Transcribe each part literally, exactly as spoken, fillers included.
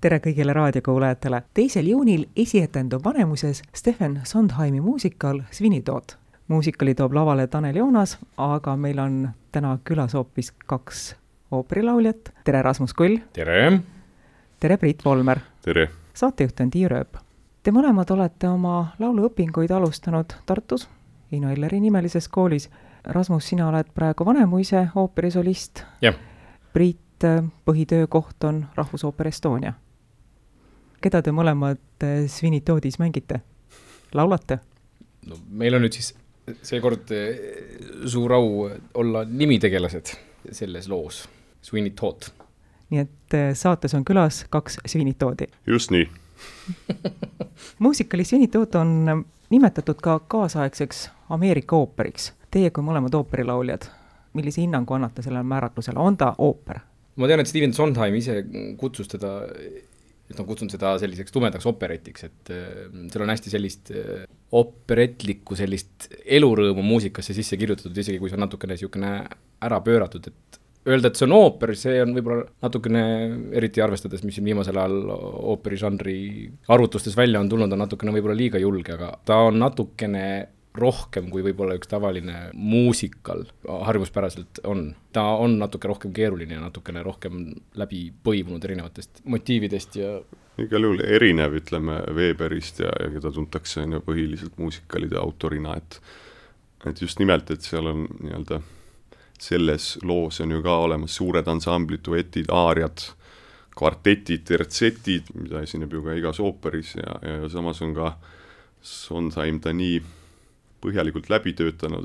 tere kõigile raadiokuulajatele. Teisel juunil esietendub Vanemuises Stephen Sondheimi muusikal Svinitood. Muusikali toob lavale Tanel Joonas, aga meil on täna külas hoopis kaks ooperilauljat. Tere Rasmus Kull. Tere. Tere Priit Volmer. Tere. Saatejuht on Tiia Rööp. Te mõlemad olete oma lauluõpinguid alustanud Tartus, Iino Elleri nimelises koolis. Rasmus, sina oled praegu Vanemuise ooperisolist. Jah. Priit, põhitöökoht on Rahvusooper Estonia. Keda te mõlemad Svinitoodis mängite? Laulate? No, meil on nüüd siis seekord suur au olla nimitegelased selles loos, Svinitood. Nii et saates on külas kaks Svinitoodi. Just nii. Muusikali Svinitood on nimetatud ka kaasaegseks Ameerika ooperiks. Teie kui mõlemad ooperilauljad, millise hinnangu annate sellele määratlusele? On ta ooper? Ma tean, et Stephen Sondheim ise kutsus teda, et on kutsunud seda selliseks tumedaks operetiks, et seal on hästi sellist operetlikku sellist elurõõmu muusikasse sisse kirjutatud, isegi kui see on natukene siukene ära pööratud, et öelda, et see on ooper, see on võib-olla natukene, eriti arvestades, mis viimasel ajal ooperižanri arvutustes välja on tulnud, on natukene võib-olla liiga julge, aga ta on natukene rohkem kui võib-olla üks tavaline muusikal harjuspäraselt on. Ta on natuke rohkem keeruline ja natukene rohkem läbi põimunud erinevatest motiividest ja igal juhul erinev, ütleme, Weberist ja, ja keda tuntakse on põhiliselt muusikalide autorina, et, et just nimelt, et seal on nii-öelda selles loos on ju ka olemas suured ansamblid, duetid, aariad, kvartetid, tertsetid, mida esineb ju ka igas ooperis ja, ja samas on ka Sondheim ta nii põhjalikult läbi töötanud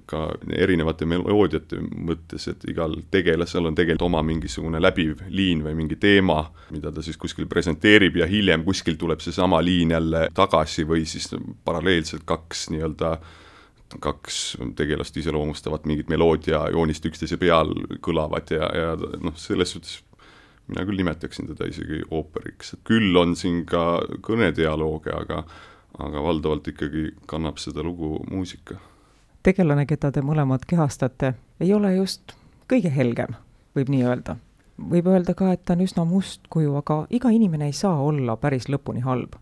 ka erinevate meloodiate mõttes, et igal tegelasel on tegelikult oma mingisugune läbiv liin või mingi teema, mida ta siis kuskil presenteerib ja hiljem kuskil tuleb see sama liin jälle tagasi või siis paralleelselt kaks nii-öelda kaks tegelast iseloomustavat mingit meloodia joonist üksteise peal kõlavad ja, ja noh, selles suhtes mina küll nimetaksin teda isegi ooperiks. Küll on siin ka kõnedialooge, aga aga valdavalt ikkagi kannab seda lugu muusika. Tegelane, keda te mõlemad kehastate, ei ole just kõige helgem, võib nii öelda. Võib öelda ka, et ta on üsna must kuju, aga iga inimene ei saa olla päris lõpuni halb.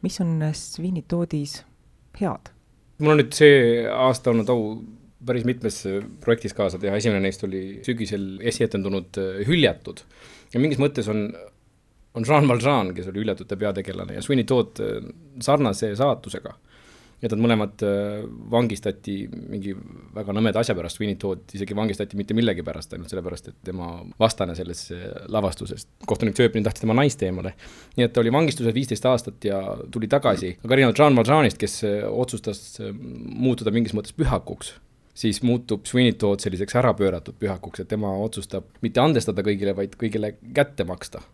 Mis on Svinitoodis head? Mul on nüüd see aasta olnud au päris mitmes projektis kaasa teha. Esimene neist oli sügisel esietendunud Hüljatud. Ja mingis mõttes on on Jean Valjean, kes oli Hüljatute peategelane ja Svinitood sarnase saatusega. Et nad mõlemad vangistati mingi väga nõmeda asja pärast. Svinitood isegi vangistati mitte millegi pärast, ainult sellepärast, et tema vastane selles lavastuses. Kohtunik Sööpnin tahtis tema naiste eemale. Nii et ta oli vangistuses viisteist aastat ja tuli tagasi. Aga erinevalt Jean Valjeanist, kes otsustas muutuda mingis mõttes pühakuks, siis muutub Svinitood selliseks ära pööratud pühakuks, et tema otsustab mitte andestada kõigile, vaid kõigile kätte maksta.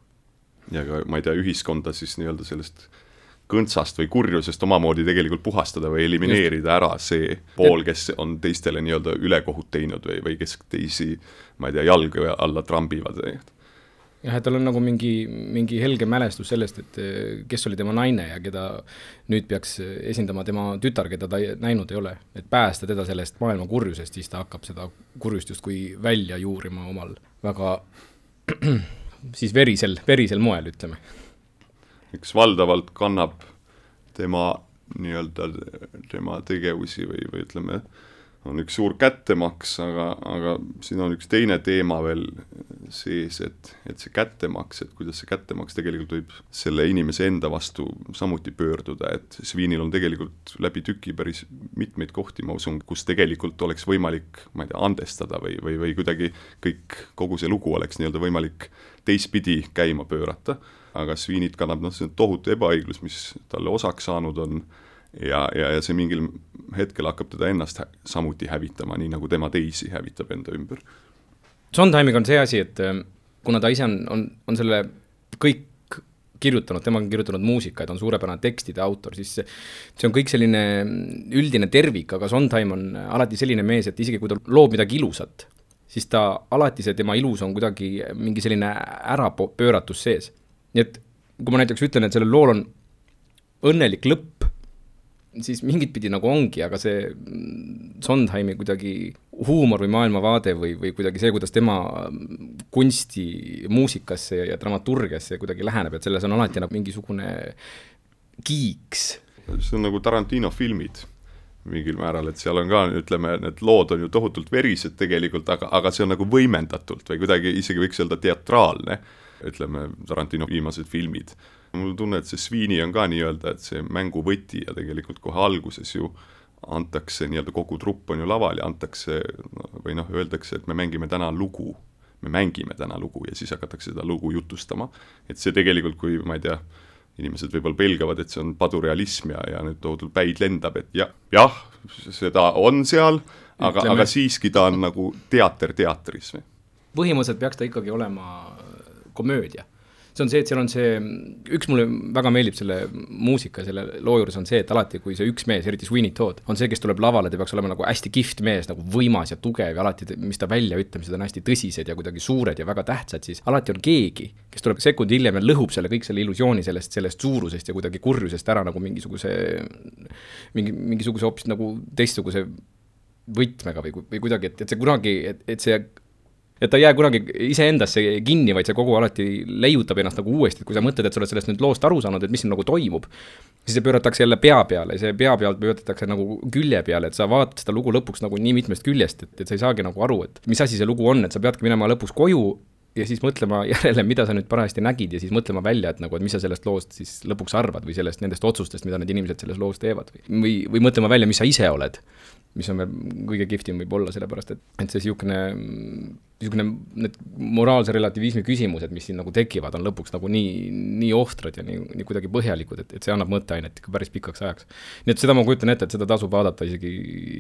Ja ka, ma ei tea, ühiskonda siis nii-öelda sellest kõntsast või kurjusest omamoodi tegelikult puhastada või elimineerida Just. ära see pool, kes on teistele nii-öelda ülekohut teinud või, või kes teisi, ma ei tea, jalga alla trambivad. Jah, et tal on nagu mingi, mingi helge mälestus sellest, et kes oli tema naine ja keda nüüd peaks esindama tema tütar, keda ta näinud ei ole. Et päästa teda sellest maailma kurjusest, siis ta hakkab seda kurjust just kui välja juurima omal väga siis verisel, verisel moel, ütleme. Eks valdavalt kannab tema nii-öelda tema tegevusi või, või ütleme, on üks suur kättemaks, aga, aga siin on üks teine teema veel sees, et, et see kättemaks, et kuidas see kättemaks tegelikult võib selle inimese enda vastu samuti pöörduda, et Svinil on tegelikult läbi tüki päris mitmeid kohti, ma usun, kus tegelikult oleks võimalik, ma ei tea, andestada või, või, või kuidagi kõik, kogu see lugu oleks nii-öelda võimalik teistpidi käima pöörata, aga Svinit kannab noh, see tohutu ebaõiglus, mis talle osaks saanud on ja, ja, ja see mingil hetkel hakkab teda ennast hä- samuti hävitama, nii nagu tema teisi hävitab enda ümber. Sondheimiga on see asi, et kuna ta ise on, on, on selle kõik kirjutanud, tema on kirjutanud muusika, et on suurepärane tekstide autor, siis see on kõik selline üldine tervik, aga Sondheim on alati selline mees, et isegi kui ta loob midagi ilusat, siis ta alati see tema ilus on kuidagi mingi selline ära pööratus sees. Nii et kui ma näiteks ütlen, et sellel lool on õnnelik lõpp, siis mingit pidi nagu ongi, aga see Sondheimi kuidagi huumor või maailmavaade või, või kuidagi see, kuidas tema kunsti, muusikasse ja dramaturgiasse kuidagi läheneb, et selles on alati nagu mingisugune kiiks. See on nagu Tarantino filmid mingil määral, et seal on ka, ütleme, need lood on ju tohutult verised tegelikult, aga, aga see on nagu võimendatult või kuidagi isegi võiks öelda teatraalne, ütleme, Tarantino viimased filmid. Mul tunne, et see Sweeney on ka nii-öelda, et see mängu võti ja tegelikult kohe alguses ju antakse, nii-öelda kogu trupp on ju laval ja antakse, või noh, öeldakse, et me mängime täna lugu, me mängime täna lugu ja siis hakatakse seda lugu jutustama. Et see tegelikult, kui ma ei tea, inimesed võib-olla pelgavad, et see on padurealism ja, ja nüüd tohutult päid lendab, et ja, jah, seda on seal, aga, aga siiski ta on nagu teater teatris. Põhimõtteliselt peaks ta ikkagi olema komöödia. See on see, et seal on see, üks mulle väga meeldib selle muusika, selle loo juures on see, et alati kui see üks mees, eriti Sweeney Todd, on see, kes tuleb lavale, ta peaks olema nagu hästi kihvt mees, nagu võimas ja tugev ja alati, mis ta välja ütlemised on hästi tõsised ja kuidagi suured ja väga tähtsad, siis alati on keegi, kes tuleb sekundi hiljem ja lõhub selle kõik selle illusiooni sellest, sellest suurusest ja kuidagi kurjusest ära nagu mingisuguse, mingi, mingisuguse hoopis nagu teistsuguse võtmega või, või kuidagi, et, et see kunagi, et, et see et ta ei jää kunagi iseendasse kinni, vaid see kogu alati leiutab ennast nagu uuesti, et kui sa mõtled, et sa oled sellest nüüd loost aru saanud, et mis siin nagu toimub, siis see pööratakse jälle pea peale, see pea pealt pööratakse nagu külje peale, et sa vaatad seda lugu lõpuks nagu nii mitmest küljest, et, et sa ei saagi nagu aru, et mis asi see lugu on, et sa peadki minema lõpuks koju ja siis mõtlema järele, mida sa nüüd parajasti nägid ja siis mõtlema välja, et nagu, et mis sa sellest loost siis lõpuks arvad või sellest nendest otsustest, mida need inimesed selles loos teevad või, või, või mõtlema välja, mis sa ise oled, mis on veel kõige kihvtim võib olla, sellepärast, et, et see siukene, siukene need moraalse relativismi küsimused, mis siin nagu tekivad, on lõpuks nagu nii, nii ohtrad ja nii, nii kuidagi põhjalikud, et, et see annab mõtteainet päris pikaks ajaks. Nii et seda ma kujutan ette, et seda tasub vaadata isegi,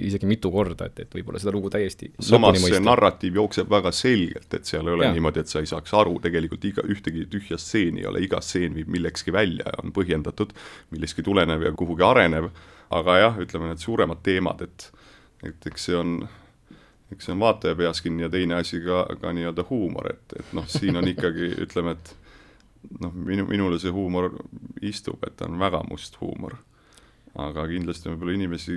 isegi mitu korda, et, et võib-olla seda lugu täiesti samas see narratiiv jookseb väga selgelt, et seal ei ole ja. Niimoodi, et sa ei saaks aru, tegelikult iga, ühtegi tühja stseeni ei ole, iga stseen viib millekski välja ja on põhjendatud, millekski tulenev ja kuhugi arenev, aga jah, ütleme need suuremad teemad, et, et eks see on, eks see on vaataja peas kinni ja teine asi ka, ka nii-öelda huumor, et, et noh, siin on ikkagi, ütleme, et noh, minu, minule see huumor istub, et on väga must huumor, aga kindlasti võib-olla inimesi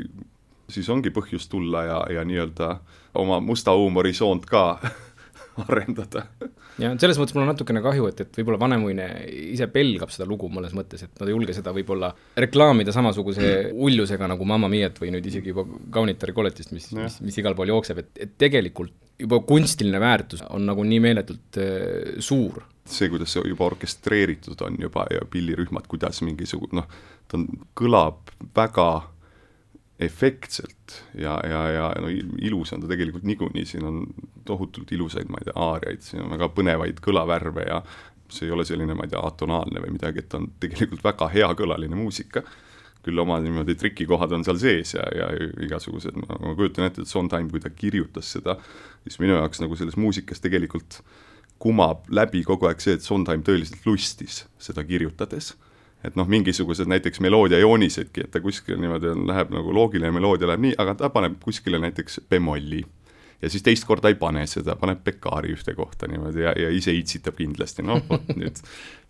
siis ongi põhjus tulla ja, ja nii-öelda oma musta huumorisoont ka arendada. Ja selles mõttes mul on natukene kahju, et, et võib-olla vanemuine ise pelgab seda lugu mõnes mõttes, et nad ei julge seda võib-olla reklaamida samasuguse ullusega nagu Mamma Miat või nüüd isegi juba Kaunitari koletist, mis, mis, mis igal pool jookseb, et, et tegelikult juba kunstiline väärtus on nagu nii meeletult äh, suur. See, kuidas see juba orkestreeritud on juba ja pillirühmad, kuidas mingisugune, noh, ta on, kõlab väga efektselt ja, ja, ja no, ilus on ta tegelikult niikuinii, siin on tohutult ilusaid, ma ei tea, aariaid, siin on väga põnevaid kõlavärve ja see ei ole selline, ma ei tea, atonaalne või midagi, et ta on tegelikult väga hea kõlaline muusika, küll oma niimoodi trikikohad on seal sees ja, ja igasugused, ma, ma kujutan ette, et Sondheim, kui ta kirjutas seda, siis minu jaoks nagu selles muusikas tegelikult kumab läbi kogu aeg see, et Sondheim tõeliselt lustis seda kirjutades. Et noh, mingisugused näiteks meloodia joonisedki, et ta kuskil niimoodi on, läheb nagu loogiline meloodia läheb nii, aga ta paneb kuskile näiteks bemolli ja siis teist korda ei pane seda, paneb pekaari ühte kohta niimoodi ja, ja ise itsitab kindlasti, noh, vot nüüd,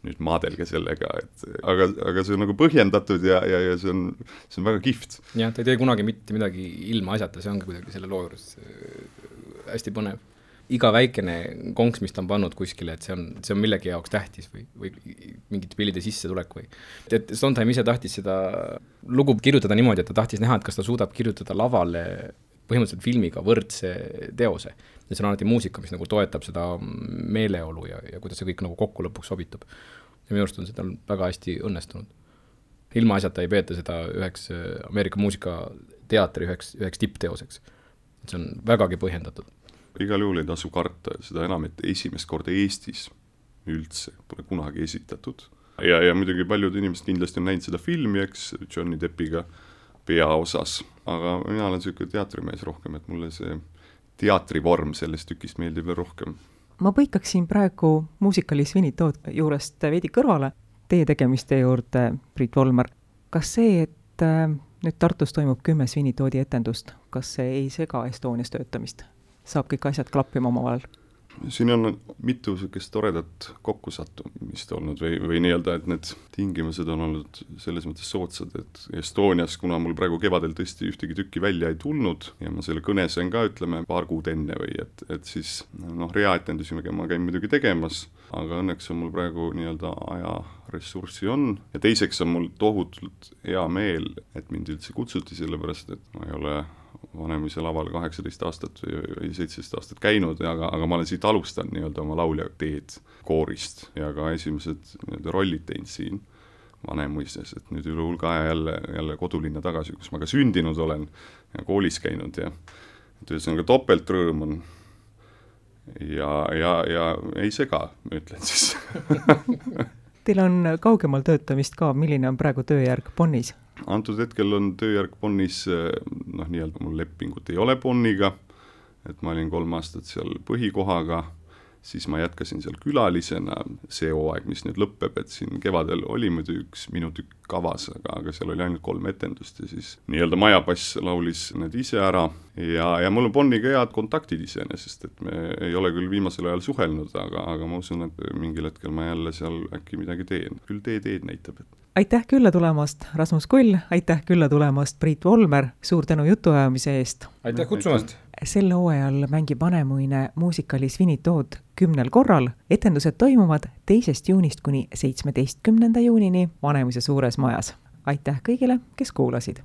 nüüd maadelge sellega, et aga, aga see on nagu põhjendatud ja, ja, ja see on, see on väga kihvt. Jah, ta ei tee kunagi mitte midagi ilma asjata, see ongi kuidagi selle loo juures hästi põnev. Iga väikene konks, mis ta on pannud kuskile, et see on, see on millegi jaoks tähtis või, või mingite pillide sisse tulek või. Et Sondheim ise tahtis seda lugu kirjutada niimoodi, et ta tahtis näha, et kas ta suudab kirjutada lavale põhimõtteliselt filmiga võrdse teose. Ja see on alati muusika, mis nagu toetab seda meeleolu ja, ja kuidas see kõik nagu kokku lõpuks sobitub. Ja minu arust on seda väga hästi õnnestunud. Ilma asjata ei peeta seda üheks Ameerika muusikateatri üheks, üheks tippteoseks. See on vägagi põhjendatud. Igal juhul ei tasu karta, seda enam, et esimest korda Eestis üldse pole kunagi esitatud. Ja, ja muidugi paljud inimesed kindlasti on näinud seda filmi, eks, Johnny Deppiga peaosas, aga mina olen selline teatrimees rohkem, et mulle see teatrivorm sellest tükist meeldib veel rohkem. Ma põikaksin praegu muusikali Sweeney Todd juurest veidi kõrvale teie tegemiste juurde, Priit Volmer. Kas see, et nüüd Tartus toimub kümme Sweeney Toddi etendust, kas see ei sega Estonias töötamist? Saab kõik asjad klappima omavahel? siin on mitu sellist toredat kokkusattumist olnud või, või nii-öelda, et need tingimused on olnud selles mõttes soodsad, et Estonias, kuna mul praegu kevadel tõesti ühtegi tükki välja ei tulnud ja ma selle kõne sain ka, ütleme, paar kuud enne või et, et siis noh, reaetendusi ma käin muidugi tegemas, aga õnneks on mul praegu nii-öelda ajaressurssi on ja teiseks on mul tohutult hea meel, et mind üldse kutsuti, sellepärast et ma ei ole Vanemuise laval kaheksateist aastat või seitseteist aastat käinud, aga, aga ma olen siit alustanud nii-öelda oma laulja teed koorist ja ka esimesed nii-öelda rollid teinud siin Vanemuises, et nüüd üle hulga aja jälle, jälle kodulinna tagasi, kus ma ka sündinud olen ja koolis käinud ja ühesõnaga topeltrõõm on ja, ja, ja ei sega, ma ütlen siis. Teil on kaugemal töötamist ka, milline on praegu tööjärg Bonnis? Antud hetkel on tööjärg Bonnis, noh nii-öelda mul lepingut ei ole Bonniga, et ma olin kolm aastat seal põhikohaga, siis ma jätkasin seal külalisena see hooaeg, mis nüüd lõpeb, et siin kevadel oli muidu üks minu tükk kavas, aga, aga seal oli ainult kolm etendust ja siis nii-öelda majapass laulis need ise ära ja, ja mul on Bonniga head kontaktid iseenesest, et me ei ole küll viimasel ajal suhelnud, aga, aga ma usun, et mingil hetkel ma jälle seal äkki midagi teen, küll tee teed näitab, et aitäh külla tulemast, Rasmus Kull, aitäh külla tulemast, Priit Volmer, suur tänu jutuajamise eest. Aitäh kutsumast! Sel hooajal mängib Vanemuine muusikali Svinitood kümnel korral. Etendused toimuvad teisest juunist kuni seitsmeteistkümnenda juunini Vanemuise suures majas. Aitäh kõigile, kes kuulasid!